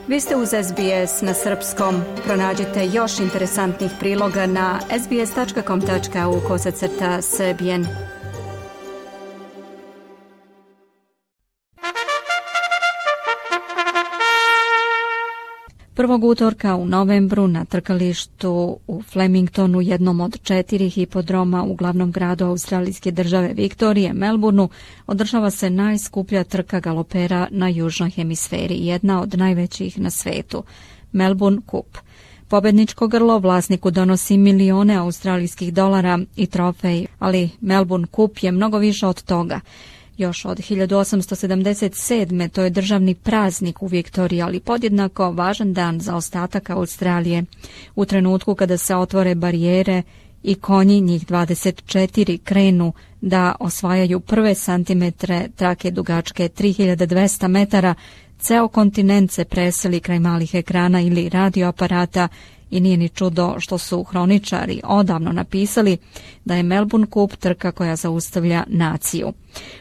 Vi ste uz SBS na srpskom. Pronađite još interesantnih priloga na sbs.com.au/srbijen. Prvog utorka u novembru na trkalištu u Flemingtonu, jednom od 4 hipodroma u glavnom gradu australijske države Viktorije, Melbourneu, održava se najskuplja trka galopera na južnoj hemisferi, jedna od najvećih na svetu, Melbourne Cup. Pobedničko grlo vlasniku donosi milione australijskih dolara i trofej, ali Melbourne Cup je mnogo više od toga. Još od 1877. to je državni praznik u Viktoriji, ali podjednako važan dan za ostatak Australije. U trenutku kada se otvore barijere i konji, njih 24, krenu da osvajaju prve santimetre trake dugačke 3200 metara, ceo kontinent se preseli kraj malih ekrana ili radioaparata i nije ni čudo što su hroničari odavno napisali da je Melbourne Cup trka koja zaustavlja naciju.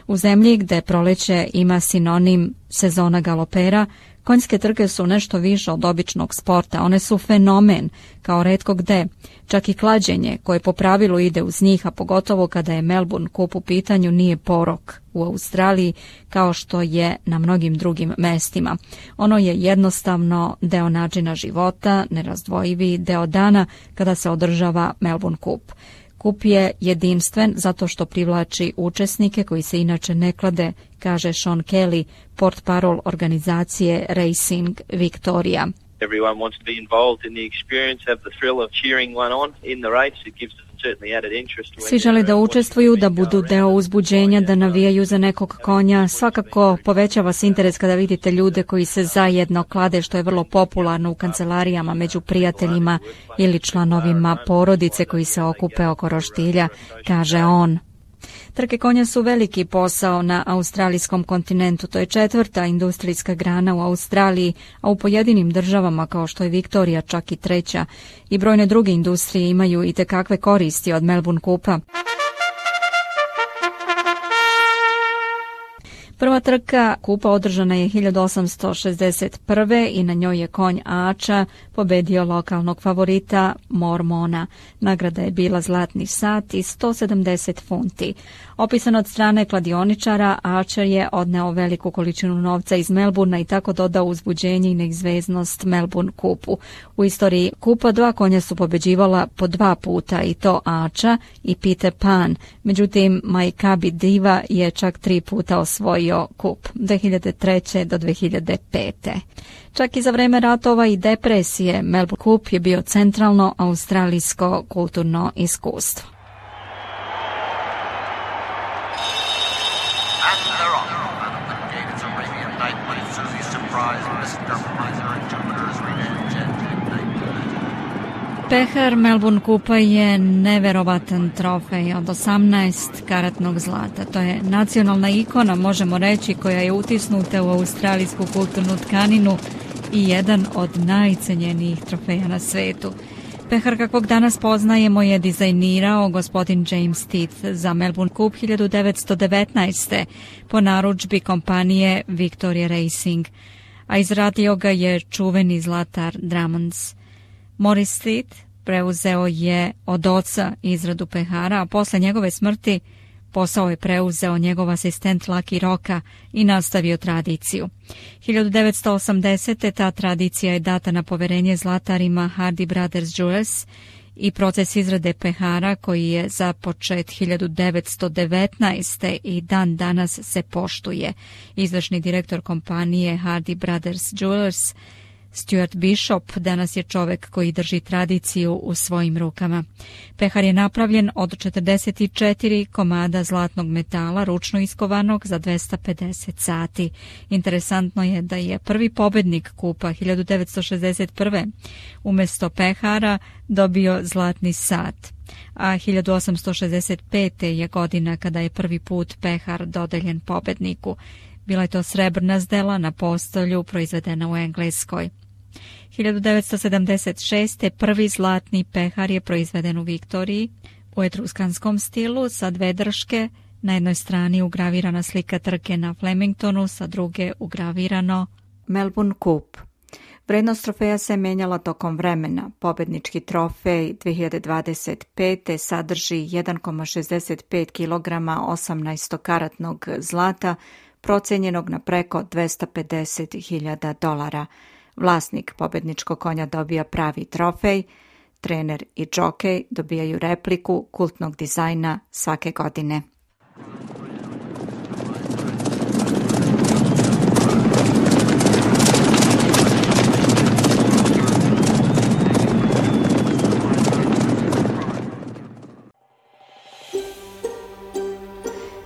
U zemlji gde proleće ima sinonim sezona galopera, konjske trke su nešto više od običnog sporta, one su fenomen, kao retko gde. Čak i klađenje, koje po pravilu ide uz njih, a pogotovo kada je Melbourne Cup u pitanju, nije porok u Australiji kao što je na mnogim drugim mestima. Ono je jednostavno deo načina života, nerazdvojivi deo dana kada se održava Melbourne Cup. Kup je jedinstven zato što privlači učesnike koji se inače ne klade, kaže Sean Kelly, portparol organizacije Racing Victoria. Everyone wants to be involved in the experience, have the thrill of cheering one on in the race. It gives them certainly added interest. Svi žele da učestvuju, da budu deo uzbuđenja, da navijaju za nekog konja. Svakako povećava se interes kada vidite ljude koji se zajedno klade, što je vrlo popularno u kancelarijama među prijateljima ili članovima porodice koji se okupe oko roštilja, kaže on. Trke konja su veliki posao na australijskom kontinentu. To je 4. industrijska grana u Australiji, a u pojedinim državama kao što je Viktorija čak i 3. I brojne druge industrije imaju i tekakve koristi od Melbourne Cupa. Prva trka kupa održana je 1861. i na njoj je konj Ača pobedio lokalnog favorita Mormona. Nagrada je bila zlatni sat i 170 funti. Opisan od strane kladioničara, Archer je odneo veliku količinu novca iz Melbourna i tako dodao uzbuđenje i neizveznost Melbourne Cupu. U istoriji kupa 2 konja su pobeđivala po 2 puta, i to Ača i Peter Pan. Međutim, Maikabi Diva je čak 3 puta osvojio kup, 2003. do 2005. Čak i za vreme ratova i depresije, Melbourne Cup je bio centralno australijsko kulturno iskustvo. Pehar Melbourne Cupa je neverovatan trofej od 18 karatnog zlata. To je nacionalna ikona, možemo reći, koja je utisnuta u australijsku kulturnu tkaninu i jedan od najcenjenijih trofeja na svetu. Pehar kakvog danas poznajemo je dizajnirao gospodin James Teeth za Melbourne Cup 1919. po narudžbi kompanije Victoria Racing, a izradio ga je čuveni zlatar Drummonds. Maurice Teeth preuzeo je od oca izradu pehara, a posle njegove smrti posao je preuzeo njegov asistent Lucky Rocka i nastavio tradiciju. 1980. ta tradicija je data na poverenje zlatarima Hardy Brothers Jewelers i proces izrade pehara koji je započet 1919. i dan danas se poštuje. Izvršni direktor kompanije Hardy Brothers Jewelers Stuart Bishop danas je čovek koji drži tradiciju u svojim rukama. Pehar je napravljen od 44 komada zlatnog metala, ručno iskovanog za 250 sati. Interesantno je da je prvi pobednik kupa 1961. umesto pehara dobio zlatni sat, a 1865. je godina kada je prvi put pehar dodeljen pobedniku. Bila je to srebrna zdela na postolju proizvedena u Engleskoj. 1976. prvi zlatni pehar je proizveden u Viktoriji u etruskanskom stilu sa 2 drške. Na jednoj strani ugravirana slika trke na Flemingtonu, sa druge ugravirano Melbourne Cup. Vrednost trofeja se menjala tokom vremena. Pobednički trofej 2025. sadrži 1,65 kg 18-karatnog zlata, procenjenog na preko $250.000. Vlasnik pobedničkog konja dobija pravi trofej, trener i džokej dobijaju repliku kultnog dizajna svake godine.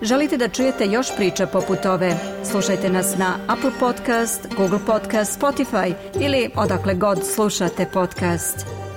Želite da čujete još priča poput ove? Slušajte nas na Apple Podcast, Google Podcast, Spotify ili odakle god slušate podcast.